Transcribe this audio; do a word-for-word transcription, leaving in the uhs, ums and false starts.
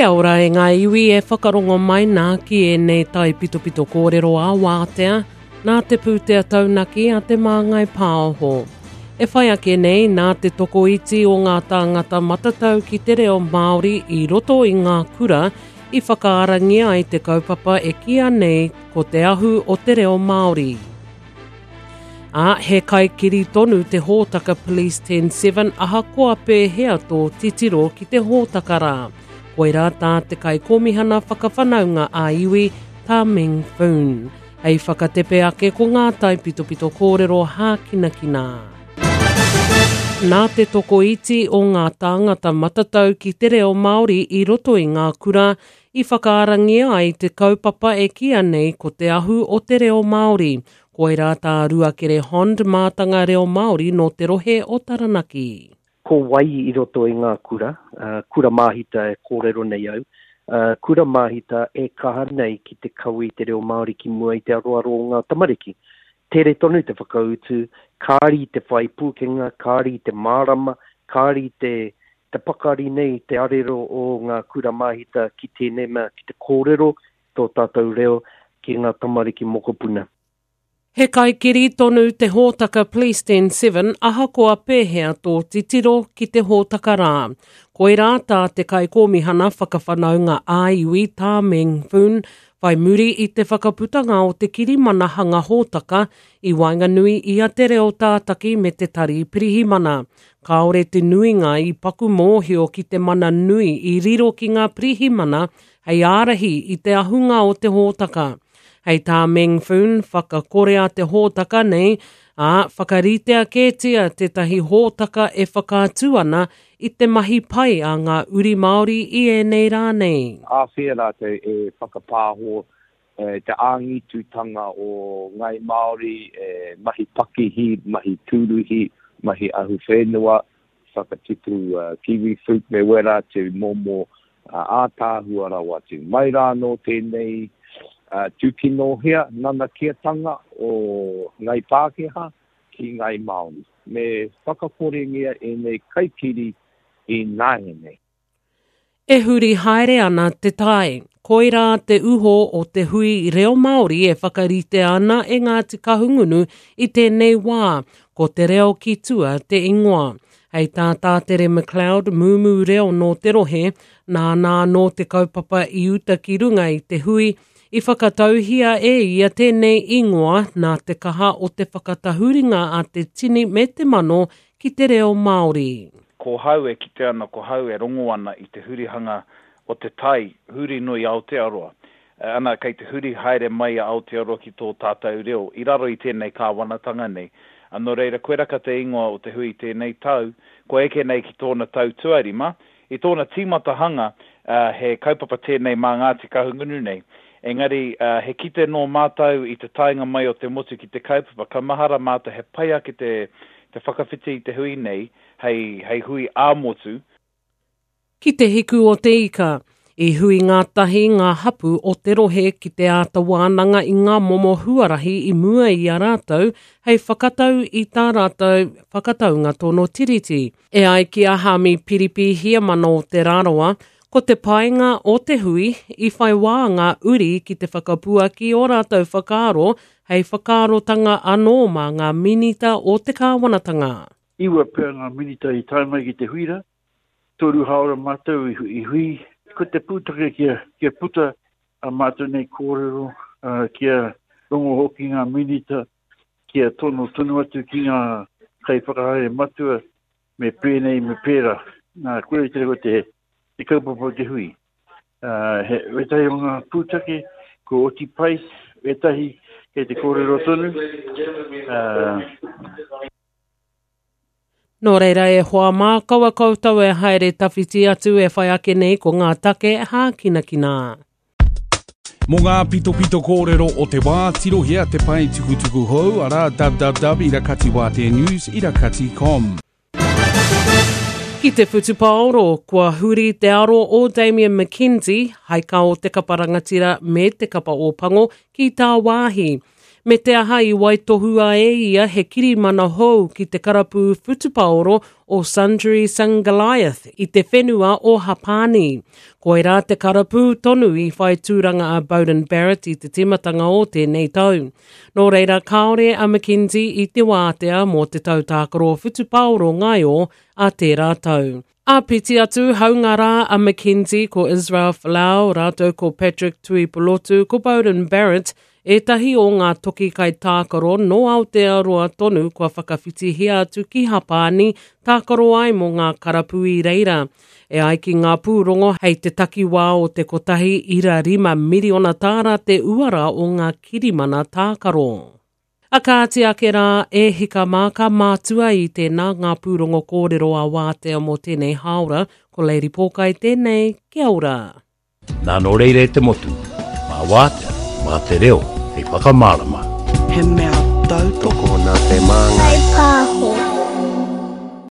Kia ora e ngā iwi e whakarongo mai nā ki ēnei taipitopito kōrero a wātea, nā te pūtea taunaki a Te Māngai Pāho. E whai ake nei nā te tokoiti o ngā tāngata matatau ki te reo Māori i roto i ngā kura i whakaarangia ai te kaupapa e kīia nei ko te ahu o te reo Māori. Ā, he kaikiri tonu te hōtaka Police ten seven ahakoa pēhea tō titiro ki te hōtaka rā. Koirā tā te kaikōmihana whakawhanaunga ā-iwi, tā Meng Foon. Hei whakatepe ake ko ngā taipitopito kōrero hākinakina. Nā te tokoiti o ngā tāngata matatau ki te reo Māori i roto i ngā kura i whakaarangia ai te kaupapa e kīia nei ko te ahu o te reo Māori. Koirā tā Ruakere Hond mātanga reo Māori nō te rohe o Taranaki. Ko wai i roto i ngā kura, uh, kura māhita e kōrero nei au, uh, kura māhita e kaha nei ki te kawe i te reo Māori ki mua i te aroaro o ngā tamariki. Tere tonu te whakautu, kāri te whai pūkenga, kāri te mārama, kāri te, te pakari nei te arero o ngā kura māhita ki tēnei mea, ki te kōrero tō tātou reo ki ngā tamariki mokopuna. He kaikiri tonu te hōtaka Police ten seven ahakoa pēhea tō titiro ki te hōtaka rā. Koirā tā te kaikōmihana whakawhanaunga ā-iwi tā Meng Foon whai muri i te whakaputanga o te kirimana hanga hōtaka i waenganui i a te reo tātaki me te tari pirihimana. Kāore te nuinga i paku mōhio ki te mana nui i riro ki ngā pirihimana hei ārahi i te ahunga o te hōtaka. Hei tā Meng Foon whakakorea te hōtaka nei, ā, whakaritea kētia tētahi hōtaka e whakaatu ana i te mahi pai a ngā uri Māori i ēnei rā nei. Āwhea rātou e whakapāho e, te āngitutanga o Ngai Māori, e, mahi pakihi, mahi tūruhi, mahi ahuwhenua, whakatipu uh, kiwi fruit me wera atu momo uh, ātāhua rawa atu. Mai rā nō tēnei Uh, tūkinohea nanakiatanga o Ngai Pākehā ki Ngai Māori. Me whakakorengia ēnei kaikiri i nāianei. E huri haere ana te tai. Koirā te uho o te hui reo Māori e whakaritea ana e Ngāti Kahungunu i tēnei wā. Ko te reo ki tua te ingoa. Hei tā Tātere McLeod, mūmū reo nō te rohe, nāna nō te kaupapa i uta ki runga i te hui, i whakatauhia e ia tēnei ingoa nā te kaha o te whakatahuringa a te tini me te mano ki te reo Māori. Ko hau e kite ana, ko hau e rongo ana i te hurihanga o te tai, huri nui Aotearoa. Ana, kei te huri haere mai a Aotearoa ki tō tātou reo, i raro i tēnei kāwanatanga nei. Nō reira, koiraka te ingoa o te hui tēnei tau, ko eke nei ki tōna tau tuarima, i tōna tīmatahanga, uh, he kaupapa tēnei mā Ngāti Kahungunu nei. Engari, uh, he kite nō mātou i te taenga mai o te motu ki te kaupapa, ka mahara mātou he pai ake te, te whakawhiti i te hui nei, hei, hei hui ā-motu. Ki te hiku o te ika, i hui ngā tahi ngā hapu o te rohe ki te āta wānanga i ngā momo huarahi i mua i a rātou hei whakatau i tā rātou whakataunga tono tiriti. E ai ki a Hami Piripi Hiamana o Te Rarawa, ko te painga o te hui i whai wā ngā uri ki te whakapuaki o rātou whakaaro hei whakaarotanga anō mā ngā minita o te kāwanatanga. Iwa pea ngā minita i tae mai ki te huira, toru haora mātou i, i hui, ko te pūtake kia, kia puta a mātou nei kōrero, uh, kia rongo hoki ngā minita, kia tono tonu atu ki ngā kaiwhakahaere matua me pēnei me pērā. Nā, koe te reo te te kaupapa o te hui. Uh, he, wetahi o ngā pūtake, ko oti pai, wetahi kei te kōrero tonu. Uh, Nō reira e hoa mā, kaua koutou e haere tawhiti atu e whai ake nei ko ngā take hākinakina. Mō ngā pitopito kōrero o te wā, tirohia te pae tukutuku hou, arā www irakatiwāteanews irakati com. Ki te whutupaoro, kua huri te aro o Damien McKenzie, haika o te kapa rangatira me te kapa ōpango ki tāwāhi. Me te aha i waitohua e ia he kirimana hou ki te karapu whutupaoro o Sundry Sungoliath i te whenua o Hapani. Koirā te karapu tonu i whai tūranga a Beauden Barrett i te tīmatanga o tēnei tau. Nō reira kāore a McKenzie i te wātea mō te tau tākaro whutupaoro ngaio a tērā tau. Āpiti atu, haunga rā a McKenzie ko Israel Folau, rātou ko Patrick Tuipulotu, ko Beauden Barrett, ētahi o ngā toki kai tākaro nō Aotearoa tonu kua whakawhitihia atu ki Hapani tākaro ai mō ngā karapu i reira. E ai ki ngā pūrongo hei te takiwā o te kotahi ira rima miriona tāra te uara o ngā kirimana tākaro. A kāti ake rā e hika mā ka mātua i tēnā ngā pūrongo kōrero a wātea mō tēnei hāora, ko Lady Pōkai tēnei, kia ora. Nā nō reira e te motu, mā wātea, mā te reo, hei whakamārama. He mea tautoko Tokona te māngai. Pāho.